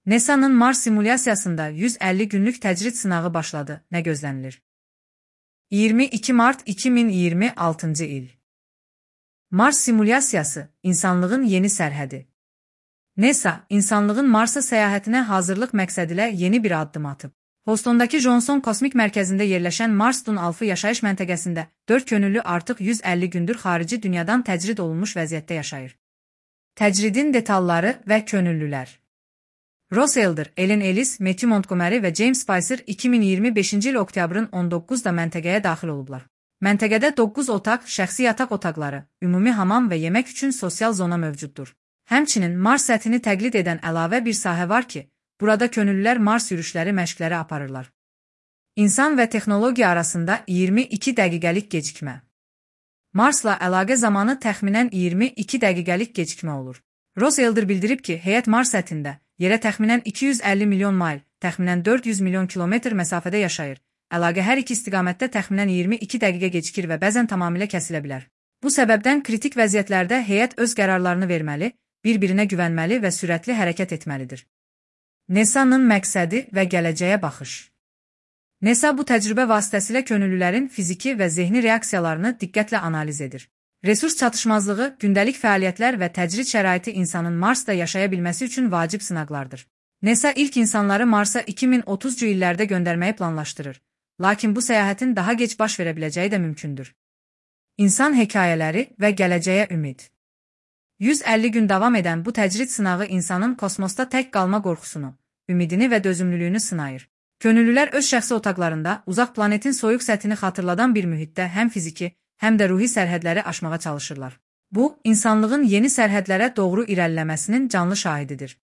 NASA'nın Mars simulyasiyasında 150 günlük təcrid sınağı başladı. Nə gözlənilir? 22 Mart 2026 il. Mars simulyasiyası, insanlığın yeni sərhədi. NASA, insanlığın Marsa səyahətinə hazırlıq məqsədilə yeni bir addım atıb. Houston'dakı Johnson Kosmik Mərkəzində yerləşən Mars Dun Alpha yaşayış məntəqəsində 4 könüllü artıq 150 gündür xarici dünyadan təcrid olunmuş vəziyyətdə yaşayır. Təcridin detalları və könüllülər. Ross Elder, Ellen Ellis, Matthew Montgomery və James Spicer 2025-ci il oktyabrın 19-da məntəqəyə daxil olublar. Məntəqədə 9 otaq, şəxsi yataq otaqları, ümumi hamam və yemək üçün sosial zona mövcuddur. Həmçinin Mars səthini təqlid edən əlavə bir sahə var ki, burada könüllülər Mars yürüşləri məşqləri aparırlar. İnsan və texnologiya arasında 22 dəqiqəlik gecikmə. Marsla əlaqə zamanı təxminən 22 dəqiqəlik gecikmə olur. Ross Elder bildirib ki, heyət Mars səthində yerə təxminən 250 milyon mayl, təxminən 400 milyon kilometr məsafədə yaşayır. Əlaqə hər iki istiqamətdə təxminən 22 dəqiqə gecikir və bəzən tamamilə kəsilə bilər. Bu səbəbdən kritik vəziyyətlərdə heyət öz qərarlarını verməli, bir-birinə güvənməli və sürətli hərəkət etməlidir. NASA'nın məqsədi və gələcəyə baxış. NASA bu təcrübə vasitəsilə könüllülərin fiziki və zehni reaksiyalarını diqqətlə analiz edir. Resurs çatışmazlığı, gündəlik fəaliyyətlər və təcrid şəraiti insanın Marsda yaşaya bilməsi üçün vacib sınaqlardır. NASA ilk insanları Marsa 2030-cu illərdə göndərməyi planlaşdırır. Lakin bu səyahətin daha gec baş verə biləcəyi də mümkündür. İnsan hekayələri və gələcəyə ümid. 150 gün davam edən bu təcrid sınağı insanın kosmosda tək qalma qorxusunu, ümidini və dözümlülüyünü sınayır. Könüllülər öz şəxsi otaqlarında uzaq planetin soyuq səthini xatırladan bir mühitdə həm fiziki, həm də ruhi sərhədləri aşmağa çalışırlar. Bu, insanlığın yeni sərhədlərə doğru irəliləməsinin canlı şahididir.